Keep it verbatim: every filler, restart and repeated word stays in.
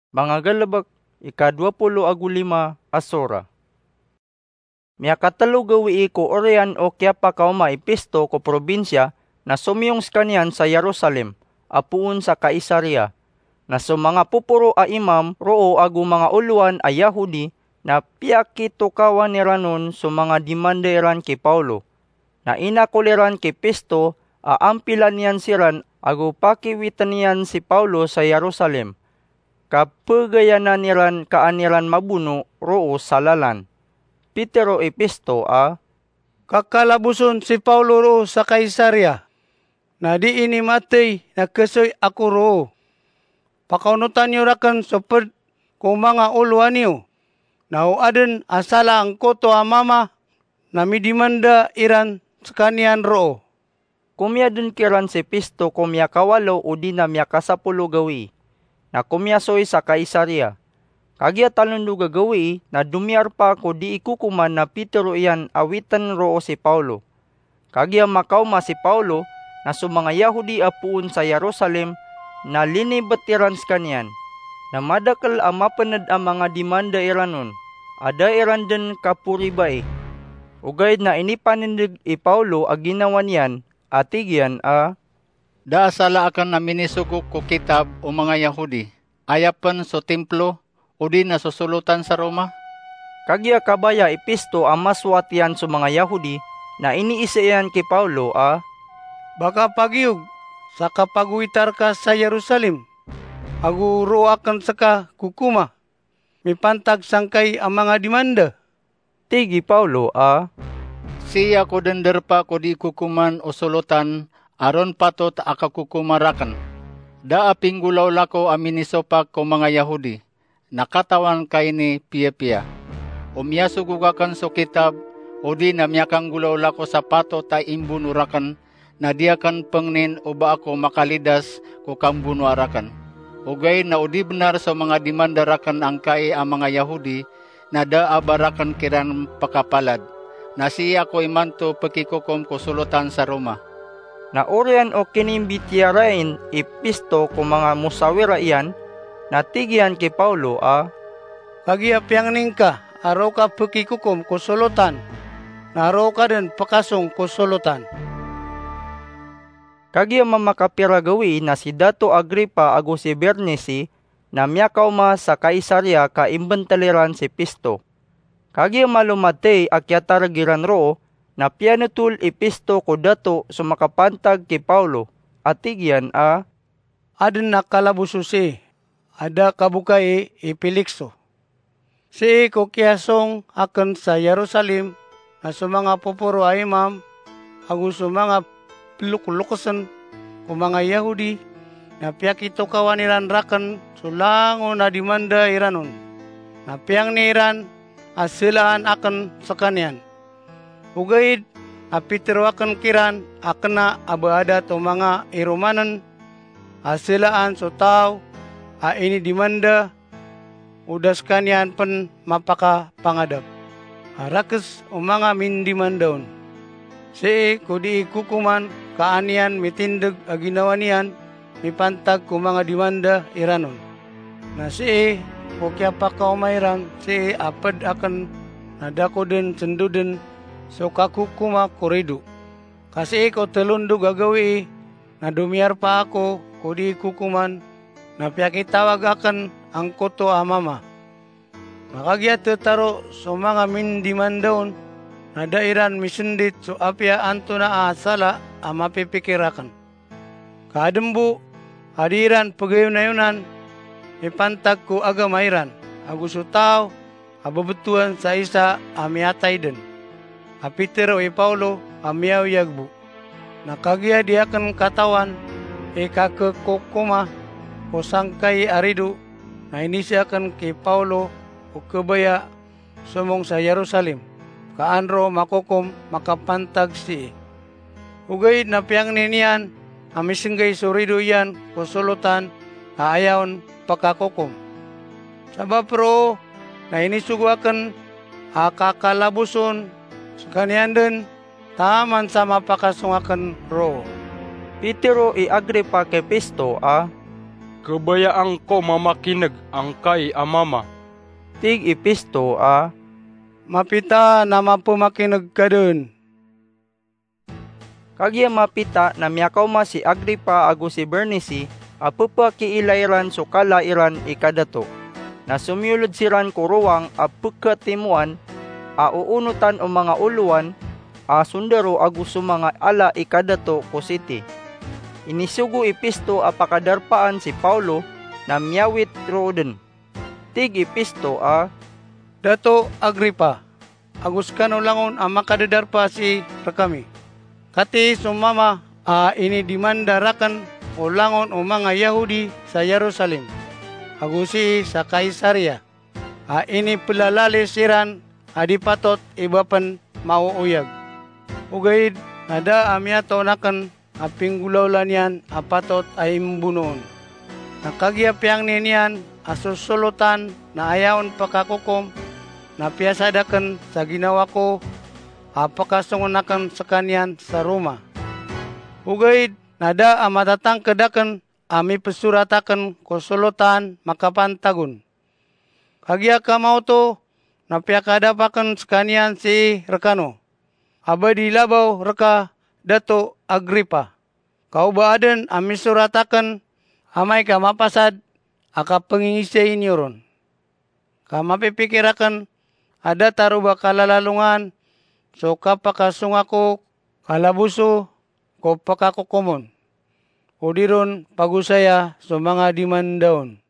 Manga Galbk, ika dowa polo ago lima a sora. Miyakatlo gawii ko oriyan o kiyapakaoma i Pisto ko probinsiya na somiyong skaniyan sa Jerusalem, a poon sa Kaisaria. Na so manga poporo a imam roo ago manga olowan a Yahudi na piyakitokawan iran on so manga dimanda iran ki Pawlo. Na inakol iran ki Pisto a ampilan iyan siran ago pakiwitn iyan si Pawlo sa Jerusalem, ka pgayanan iran ka an iran mabono roo sa lalan. Pitero i Pisto a, "Kakalaboson si Pawlo roo sa Kaisaria, na dii ini mathay na khasoy ako roo. Pakaonotan iyo rakn so pd ko manga olowan iyo, na o adn a sala angkoto a mama na midimanda iran skaniyan roo." Komiyadn kiran si Pisto ko miyakawalo odi na miyakasapolo gawii, na komiyasoy sa Kaisaria. Kagiya talondog a gawii na domiyarpa ko dii kokoman na pitero iyan a witn roo si Pawlo. Kagiya makaoma si Pawlo, na so manga Yahudi a poon sa Jerusalem na linibt iran skaniyan. Na madakl a mapnd a manga dimanda iran on a da iran dn kaporibai. Ogaid na inipanindg i Pawlo a ginawa niyan, a tig iyan a, "Da a sala akn a minisogok ko kitab o manga Yahudi, aya pn so Timplo, odi na so solotan sa Roma?" Kagiya kabaya i Pisto a masowat iyan so manga Yahudi, na iniiza iyan ki Pawlo a, "Ba ka pagiyog sa kapagowita rka sa Jerusalem, ago roo akn ska kokoma, mipantag sangkai a manga dimanda?" Tig i Pawlo a, "Sii ako dn drpa ko dii kokoman o solotan a ron patot a kakokoma rakn. Da a pinggolawla ko a minisopak ko manga Yahudi, na katawan ka ini piyapiya. O miyasogok akn so kitab, odi na miyakanggolawla ko sa patot a imbono rakn, na di akn pngnin o ba ako makalidas ko kambonoa rakn. Ogaid na o di bnar so manga dimanda rakn angkai a manga Yahudi, na da a ba rakn kiran pakapalad. Na sii ako imanto pkikokom ko solotan sa Roma." Na oriyan o kinimbitiyarai i Pisto ko manga mosawira iyan, na tig iyan ki Pawlo a, "Kagiya piyangni ngka a roo ka pkikokom ko solotan, na roo ka dn pkasong ko solotan." Kagiya mamakapira gawii na si Dato Agripa ago si Bernisi na miyakaoma sa Kaisaria ka imbntl iran si Pisto. Kagiya malo mathay a kiyatarg iran roo, na piyanotol i Pisto ko dato so makapantag ki Pawlo, a tig iyan a, "Adn a kalaboso sii a da kabokai i Pilikso. Sii ko kiyasong akn sa Jerusalem na so manga poporo a imam ago so manga ploklokesn ko manga Yahudi na piyakitokawan iran rakn so langon a dimanda iran on. Na piyangni iran a salaan akn skaniyan. Ogaid na pitero akn kiran a kna a ba adat o manga iromann a salaan so taw a inidimanda, o da skaniyan pn mapakapangadap a rakhs o manga mindimanda on. Sii ko dii kokoman ka an iyan mitindg a ginawa niyan mipantag ko manga dimanda iran on. Na sii ko kiyapakaoma iran sii a pd akn na da ko dn sndodn so kakokoma ko rido. Ka sii ko tlondog a gawii na domiyarpa ako ko dii kokoman na piyakitawag akn angkoto a mama. Na kagiya thtaro so manga mindimanda on na da iran misndit so apiya antonaa sala a mapipikir akn. Ka adn bo a di iran pgayonayonan mipantag ko agama iran, ago so taw a bbtowan sa isa a miyatay dn, a pitero i Pawlo a miyaoyag bo. Na kagiya di akn katawan i kakhkokoma ko sangkai a rido, na iniza akn ki Pawlo o khabaya somong sa Jerusalem, ka an roo makokom makapantag sii. Ogaid na piyangni niyan a misnggay so rido iyan ko solotan a aya on pkakokom. Sabap roo na inisogo akn a kakalaboson skaniyan dn taman sa mapakasong akn roo." Pitero i Agripa ki Pisto a, Kabayaan ko mamakineg angkai a mama. Tig i Pisto a, Mapita na mapemakineg ka den. Kagiya mapita na miyakaoma si Agripa ago si Bernice a pepakiilay ran so kala iran i kadato. Na somiyoled siran ko rowang a pekatimoan a oonotan o manga olowan a sondaro ago so manga ala i kadato ko siti. Inisogo i Pisto a pakadarpaan si Paulo na miyawit roo den. Tig i Pisto a, Dato Agripa, ago sekano langon a makadadarpa sii rekami. Katii so mama a inidimanda raken o langon o manga Yahudi sa Jerusalem, ago sii sa Kaisaria, a inipelalalis iran a di patot i bapen maooyag. Ogaid na da a miyatoon aken a pinggolawla niyan a patot a imbonoon. Na kagiya piyangni niyan a so solotan na aya on pekakokom, na piyasad aken sa ginawa ko a pekasongen aken sekaniyan sa Roma. Ogaid na da a matatangked aken a mipesorat aken ko solotan makapantagon. Kagiya kamaoto na piyakadap aken sekaniyan sii rekano a ba di labaw reka, Dato Agripa, ka o ba aden a misorat aken amay ka mapasad a kapengingisai niyo ron. Ka mapipikir aken a datar o ba kalalalongan so kapakasonga ko kalaboso ko pekakokomon, o di ron pagosaya so manga dimanda on.